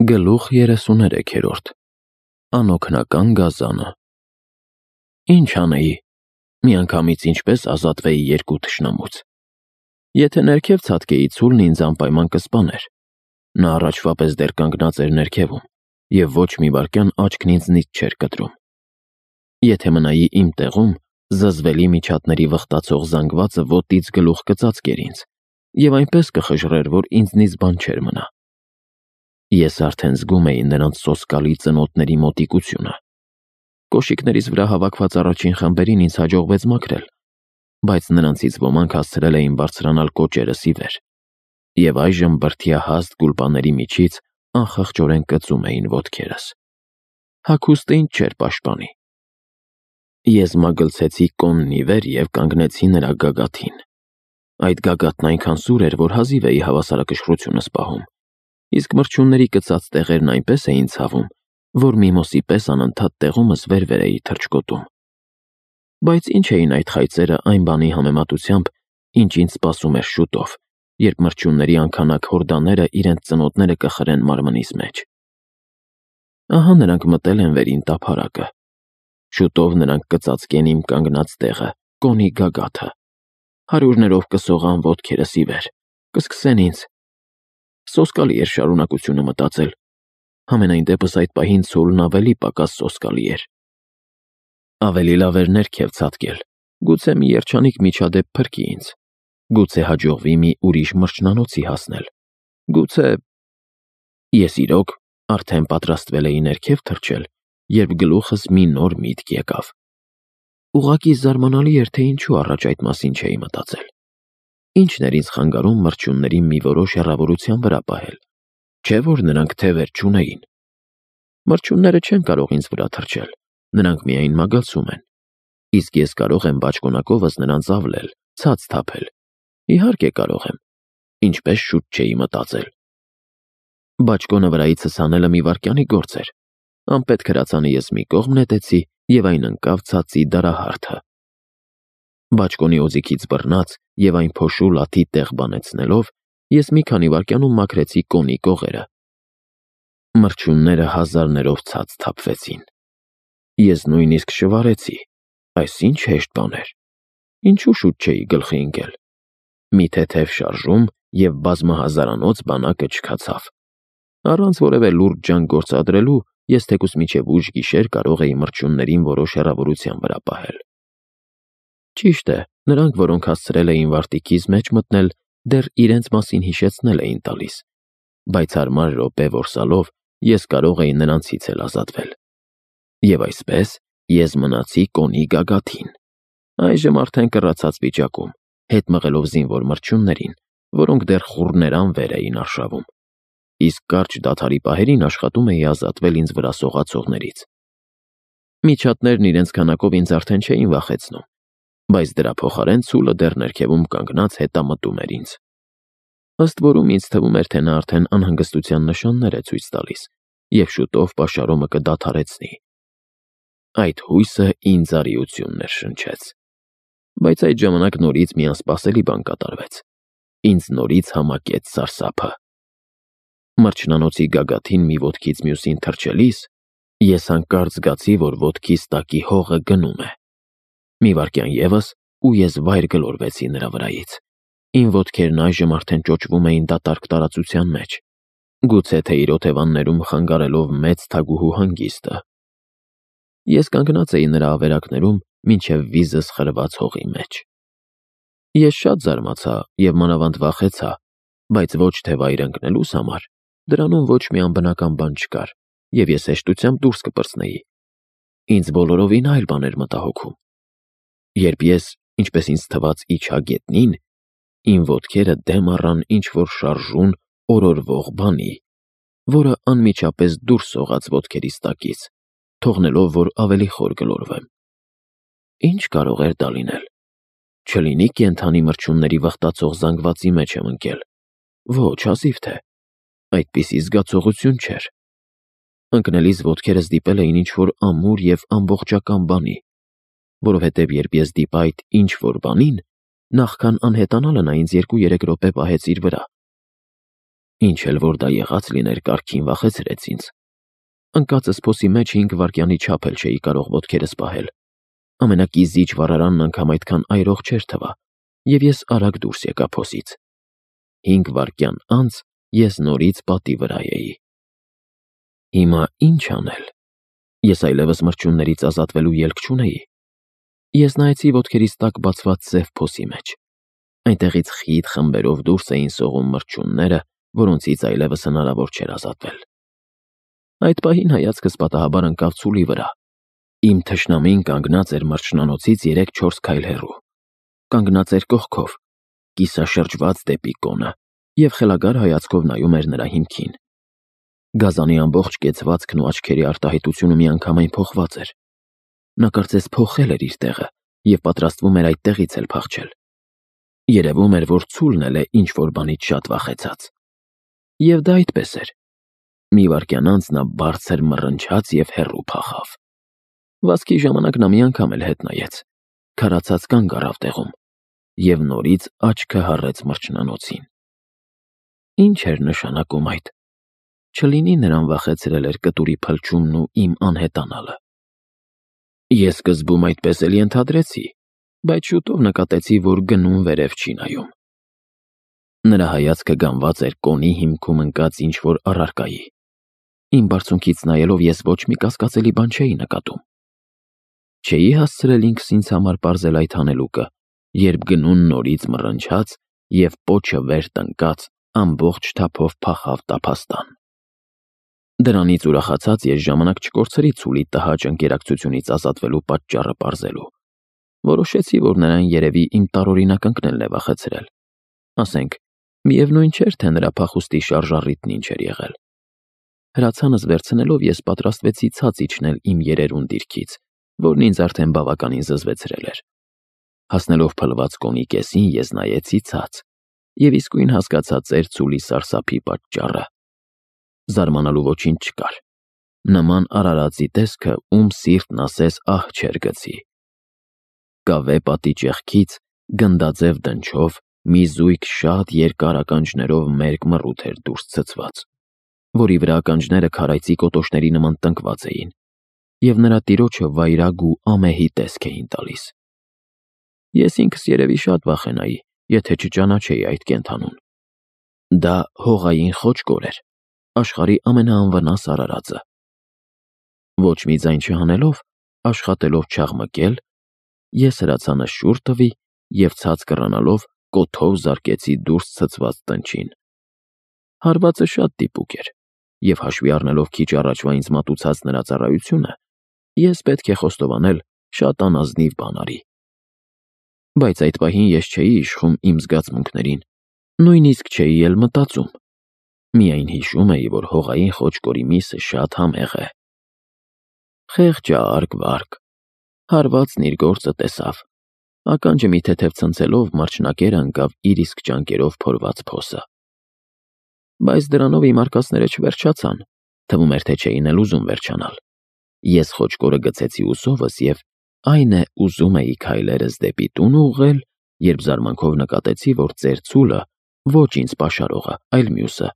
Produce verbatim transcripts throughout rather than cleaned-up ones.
Գլուխ երեսուներեքերորդ Անօգնական գազանը Ինչ անեի, միանգամից ինչպես ազատվեի երկու թշնամուց։ Եթե ներքև ցատկեի ցուլն ինձ անպայման կսպաներ։ Նա առաջվա պես դեռ կանգնած էր ներքևում, և ոչ մի վայրկյան աչքն ինձնից չէր կտրում։ Եթե մնայի իմ տեղում, զզվելի միջատների վխտացող զանգվածը ոտից գլուխ կծածկեր ինձ, և այնպես կխժռեր, որ ինձնից բան չէր մնա։ Ես արդեն զգում էի նրանց սոսկալի ծնոտների մոտիկությունը։ Կոշիկներիս վրա հավաքված առաջին խմբերին ինձ հաջողվեց մաքրել, բայց նրանցից ոմանք հասցրել էին բարձրանալ կոճերս ի վեր, և այժմ բրդյահաստ գուլպաների միջից անխղճորեն կծում էին ոտքերս։ Հագուստը ինձ չէր պաշտպանի։ Ես մագլցեցի կոնն ի վեր և կանգնեցի նրա գագաթին։ Այդ գագաթն այնքան սուր էր, որ հազիվ էի հավասարակշռությունս պահում, իսկ մրջյունների կծած տեղերն այնպես էին ցավում, որ միմոսի պես անընդհատ տեղումս վեր-վեր էի թռչկոտում։ Բայց ինչ էին այդ խայծերը այն բանի համեմատությամբ, ինչ ինձ սպասում էր շուտով, երբ մրջյունների անքանակ հորդաները իրենց ծնոտները կխրեն մարմնիս մեջ։ Ահա նրանք մտել են վերին տափարակը։ Շուտով նրանք կծածկեն իմ կանգնած տեղը, կոնի գագաթը։ Հարյուրներով կսողան ոտքերս ի վեր, կսկսեն ինձ։ Սոսկալի էր շարունակությունը մտածել։ Համենայն դեպս այդ պահին ցուլն ավելի պակաս սոսկալի էր։ Ավելի լավ էր ներքև ցատկել, գուցե մի երջանիկ միջադեպ փրկի ինձ, գուցե հաջողվի մի ուրիշ մրջնանոցի հասնել, գուցե… Ես իրոք արդեն պատրաստվել էի ներքև թռչել, երբ գլուխս մի նոր միտք եկավ։ Ուղղակի զարմանալի էր, թե ինչու առաջ այդ մասին չէի մտածել։ Ինչն էր ինձ խանգարում մրջյուններին մի որոշ հեռավորության վրա պահել, չէ՞ որ նրանք թևեր չունեին։ Մրջյունները չեն կարող ինձ վրա թռչել, նրանք միայն մագլցում են, իսկ ես կարող եմ բաճկոնակովս նրանց ավլել, ցած թափել։ Իհարկե կարող եմ, ինչպես շուտ չէի մտածել։ Բաճկոնը վրայիցս հանելը մի վայրկյանի գործ էր։ Անպետք հրացանը ես մի կողմ նետեցի, և այն ընկավ ցածի դարահարթը։ Բաճկոնի օձիքից բռնած և այն փոշու լաթի տեղ բանեցնելով, ես մի քանի վայրկյանում մաքրեցի կոնի կողերը։ Մրջյունները հազարներով ցած թափվեցին։ Ես նույնիսկ շվարեցի։ Այս ինչ հեշտ բան էր։ Ինչու շուտ չէի գլխի ընկել։ Մի թեթև շարժում, և բազմահազարանոց բանակը չքացավ։ Առանց որևէ լուրջ ջանք գործադրելու, ես թեկուզ մինչև ուշ գիշեր կարող էի մրջյուններին որոշ հեռավորության վրա պահել։ Ճիշտ է, նրանք, որոնք հասցրել էին վարտիքիս մեջ մտնել, դեռ իրենց մասին հիշեցնել էին տալիս, բայց հարմար րոպե որսալով ես կարող էի նրանցից էլ ազատվել։ Եվ այսպես ես մնացի կոնի գագաթին, այժմ արդեն կռացած վիճակում, հետ մղելով զինվոր մրջյուններին, որոնք դեռ խուռներան վեր էին արշավում, իսկ կարճ դադարի պահերին աշխատում էի ազատվել ինձ վրա սողացողներից։ Միջատներն իրենց քանակով ինձ արդեն չէին վախեցնում, բայց դրա փոխարեն ցուլը դեռ ներքևում կանգնած հետամտում էր ինձ։ Ըստ որում ինձ թվում էր, թե նա արդեն անհանգստության նշաններ է ցույց տալիս, և շուտով պաշարումը կդադարեցնի։ Այդ հույսը ինձ արիություն ներշնչեց։ Բայց այդ ժամանակ նորից մի անսպասելի բան կատարվեց։ Ինձ նորից համակեց սարսափը։ Մրջնանոցի գագաթին մի ոտքից մյուսին թռչելիս, ես հանկարծ զգացի, որ ոտքիս տակի հողը գնում է։ Մի վայրկյան ևս, ու ես վայր գլորվեցի նրա վրայից։ Իմ ոտքերն այժմ արդեն ճոճվում էին դատարկ տարածության մեջ, գուցե թե իր օթևաններում խանգարելով մեծ թագուհու հանգիստը։ Ես կանգնած էի նրա ավերակներում, մինչև վիզս խրված հողի մեջ։ Ես շատ զարմացա և մանավանդ վախեցա, բայց ոչ թե վայր ընկնելուս համար, դրանում ոչ մի անբնական բան չկար, և ես հեշտությամբ դուրս կպրծնեի։ Ինձ բոլորովին այլ բան էր մտահոգում։ Երբ ես, ինչպես ինձ թվաց, իջա գետնին, իմ ոտքերը դեմ առան ինչ-որ շարժուն, օրորվող բանի, որը անմիջապես դուրս սողաց ոտքերիս տակից, թողնելով, որ ավելի խոր գլորվեմ։ Ինչ կարող էր դա լինել։ Չլինի կենդանի մրջյունների վխտացող զանգվածի մեջ եմ ընկել։ Ոչ, հազիվ թե։ Այդպիսի զգացողություն չէր։ Ընկնելիս ոտքերս դիպել էին ինչ-որ ամուր և ամբողջական բանի, որովհետև երբ ես դիպա այդ ինչ-որ բանին, նախքան անհետանալը նա ինձ երկու-երեք րոպե պահեց իր վրա։ Ինչ էլ որ դա եղած լիներ, կարգին վախեցրեց ինձ։ Ընկածս փոսի մեջ հինգ վայրկյանի չափ էլ չէի կարող ոտքերս պահել։ Ամենակիզիչ վառարանն անգամ այդքան այրող չէր թվա, և ես արագ դուրս եկա փոսից։ Հինգ վայրկյան անց ես նորից պատի վրա էի։ Հիմա ինչ անել։ Ես այլևս մրջյուններից ազատվելու ելք չունեի։ Ես նայեցի ոտքերիս տակ բացված սև փոսի մեջ։ Այնտեղից խիտ խմբերով դուրս էին սողում մրջյունները, որոնցից այլևս հնարավոր չէր ազատվել։ Այդ պահին հայացքս պատահաբար ընկավ ցուլի վրա։ Իմ թշնամին կանգնած էր մրջնանոցից երեք-չորս քայլ հեռու։ Կանգնած էր կողքով, կիսաշրջված դեպի կոնը, և խելագար հայացքով նայում էր նրա հիմքին։ Գազանի ամբողջ կեցվածքն ու աչքերի արտահայտությունը միանգամայն փոխված էր։ Նա կարծես փոխել էր իր տեղը և պատրաստվում էր այդտեղից էլ փախչել։ Երևում էր, որ ցուլն էլ է ինչ-որ բանից շատ վախեցած։ Եվ դա այդպես էր։ Մի վայրկյան անց նա բարձր մռնչաց և հեռու փախավ։ Վազքի ժամանակ նա մի անգամ էլ հետ նայեց, քարացած կանգ առավ տեղում և նորից աչքը հառեց մրջնանոցին։ Ինչ էր նշանակում այդ։ Չլինի նրան վախեցրել էր կտուրի փլչումն ու իմ անհետանալը։ Ես սկզբում այդպես էլ ենթադրեցի, բայց շուտով նկատեցի, որ գնում վերև չի նայում։ Նրա հայացքը գանված էր կոնի հիմքում ընկած ինչ-որ առարկայի։ Իմ բարձունքից նայելով ես ոչ մի կասկածելի բան չէի նկատում։ Չէի հասցրել ինքս ինձ համար պարզել այդ հանելուկը, երբ գնուն նորից մռնչաց և պոչը վեր տնկած ամբողջ թափով փախավ տափաստան։ Դրանից ուրախացած ես ժամանակ չկորցրի ցուլի տհաճ ընկերակցությունից ազատվելու պատճառը պարզելու։ Որոշեցի, որ նրան երևի իմ տարօրինակ ընկնելն է վախեցրել։ Ասենք, միևնույն չէր, թե նրա փախուստի շարժառիթն ինչ էր եղել։ Հրացանս վերցնելով ես պատրաստվեցի ցած իջնել իմ երերուն դիրքից, որն ինձ արդեն բավականին զզվեցրել էր։ Հասնելով փլված կոնի կեսին ես նայեցի ցած և իսկույն հասկացա ծեր ցուլի սարսափի պատճառը։ Զարմանալու ոչինչ չկար։ Նման արարածի տեսքը ում սիրտն ասես ահ չէր գցի։ Կավե պատի ճեղքից գնդաձև դնչով մի զույգ շատ երկար ականջներով մերկ մռութ էր դուրս ցցված, որի վրա ականջները քարայծի կոտոշների նման տնկված էին, և նրա տիրոջը վայրագ ու ամեհի տեսք էին տալիս։ Ես ինքս երևի շատ վախենայի, եթե չճանաչեի այդ կենդանուն։ Դա հողային խոճկոր էր, աշխարհի ամենաանվնաս արարածը։ Ոչ մի ձայն չհանելով, աշխատելով չաղմկել, ես հրացանս շուռ տվի և ցած կռանալով կոթով զարկեցի դուրս ցցված տնչին։ Հարվածը շատ դիպուկ էր, և հաշվի առնելով քիչ առաջվա ինձ մատուցած նրա ծառայությունը, ես պետք է խոստովանել շատ անազնիվ բան արի։ Բայց այդ պահին ես չէի իշխում իմ զգացմունքներին, նույնիսկ չէի էլ մտածում։ Միայն հիշում էի, որ հողային խոճկորի միսը շատ համեղ է։ Խեղճ արկ-վարկ, հարվածն իր գործը տեսավ, ականջը մի թեթև ցնցելով մրջնակերը ընկավ իր իսկ ճանկերով փորված փոսը։ Բայց դրանով իմ արկածները չվերջացան, թվում էր, թե չէին էլ ուզում վերջանալ։ Ես խոճկորը գցեցի ուսովս և այն է ուզում էի քայլերս դեպի տուն ուղղել, երբ զարմանքով նկատեցի, որ ծեր ցուլը, ոչ ինձ պաշարողը, այլ մյուսը,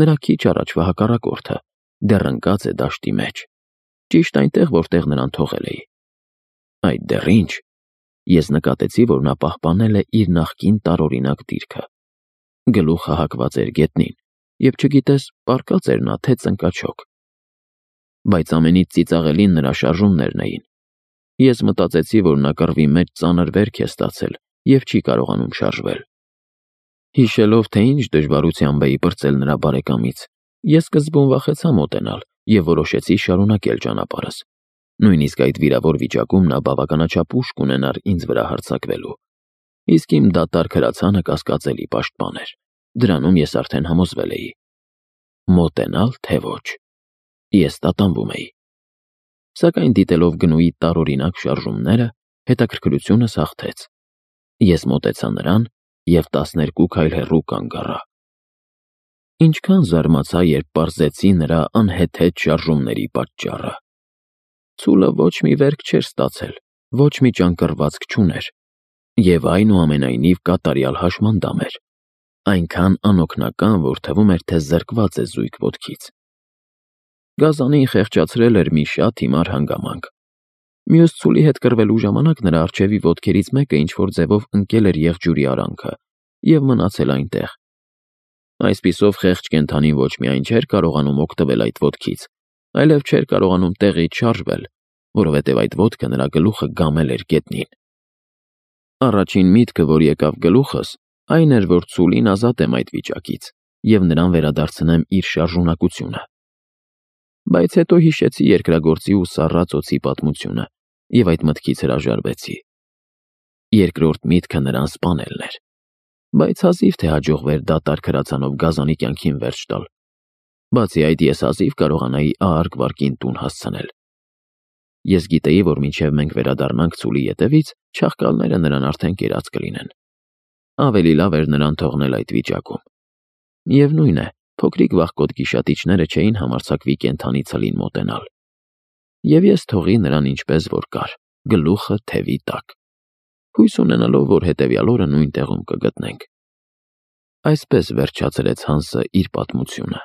նրա քիչ առաջվա հակառակորդը, դեռ ընկած է դաշտի մեջ, ճիշտ այնտեղ, որտեղ նրան թողել էի։ Այդ դեռ ինչ։ Ես նկատեցի, որ նա պահպանել է իր նախկին տարօրինակ դիրքը։ Գլուխը հակված էր գետնին, և չգիտես, պառկած էր նա, թե ծնկաչոք։ Բայց ամենից ծիծաղելին նրա շարժումներն էին։ Ես մտածեցի, որ նա կռվի մեջ ծանր վերք է ստացել և չի կարողանում շարժվել։ Հիշելով, թե ինչ դժվարությամբ էի պրծել նրա բարեկամից, ես սկզբում վախեցա մոտենալ և որոշեցի շարունակել ճանապարհս։ Նույնիսկ այդ վիրավոր վիճակում նա բավականաչափ ուժ կունենար ինձ վրա հարձակվելու։ Իսկ իմ դատարկ հրացանը կասկածելի պաշտպան էր։ Դրանում ես արդեն համոզվել էի։ Մոտենալ, թե ոչ։ Ես տատանվում էի։ Սակայն դիտելով գնուի տարօրինակ շարժումները, հետաքրքրությունս հաղթեց։ Ես մոտեցա նրան և տասներկու քայլ հեռու կանգ առա։ Ինչքան զարմացա, երբ պարզեցի նրա անհեթեթ շարժումների պատճառը։ Ցուլը ոչ մի վերք չէր ստացել, ոչ մի ճանկռվածք չուներ, և այնուամենայնիվ կատարյալ հաշմանդամ էր։ այնքան անօգնական, որ թվում էր, թե զրկված է զույգ ոտքից։ Գազանին խեղճացրել էր մի շատ հիմար հանգամանք։ Մյուս ցուլի հետ կռվելու ժամանակ նրա առջևի ոտքերից մեկը ինչ-որ ձևով ընկել էր եղջյուրի արանքը և մնացել այնտեղ։ Այսպիսով խեղճ կենդանին ոչ միայն չէր կարողանում օգտվել այդ ոտքից, այլև չէր կարողանում տեղից շարժվել, որովհետև այդ ոտքը նրա գլուխը գամել էր գետնին։ Առաջին միտքը, որ եկավ գլուխս, այն էր, որ ցուլին ազատեմ այդ վիճակից և նրան վերադարձնեմ իր շարժունակությունը։ Բայց հետո հիշեցի երկրագործի ու սառած օձի պատմությունը և այդ մտքից հրաժարվեցի։ Երկրորդ միտքը նրան սպանելն էր, բայց հազիվ թե հաջողվեր դատարկ հրացանով գազանի կյանքին վերջ տալ։ Բացի այդ, ես հազիվ կարողանայի ahարկ վարկին տուն հասցնել։ Ես գիտեի, որ մինչև մենք վերադառնանք ցուլի ետևից, չաղկալները նրան արդեն կերած կլինեն։ Ավելի լավ էր նրան թողնել այդ վիճակում։ Միևնույն է, փոքրիկ վախկոտ գիշատիչները չէին համարձակվի կենդանի ցլին մոտենալ։ Եվ ես թողի նրան ինչպես որ կար, գլուխը թևի տակ, հույս ունենալով, որ հետևյալ օրը նույն տեղում կգտնենք։ Այսպես վերջացրեց Հանսը իր պատմությունը։